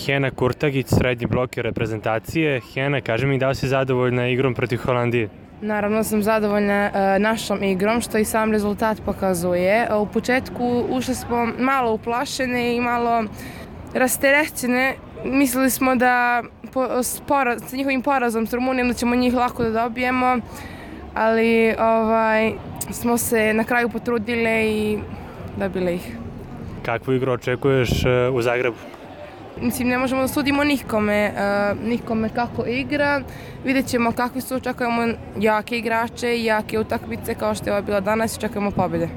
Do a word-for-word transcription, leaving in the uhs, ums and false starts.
Hena Kurtagić, srednji bloker reprezentacije. Hena, kaži mi da li si zadovoljna igrom protiv Holandije? Naravno sam zadovoljna uh, našom igrom, što i sam rezultat pokazuje. U početku ušli smo malo uplašene i malo rasterećene. Mislili smo da po, spora, sa njihovim porazom s Rumunijom da ćemo njih lako da dobijemo, ali ovaj, smo se na kraju potrudile i dobile ih. Kakvu igru očekuješ uh, u Zagrebu? Mislim, ne možemo da sudimo nikome, uh, nikome kako igra. Vidjet ćemo kakvi su, očekujemo jake igrače i jake utakmice kao što je ova bila danas i očekujemo pobjede.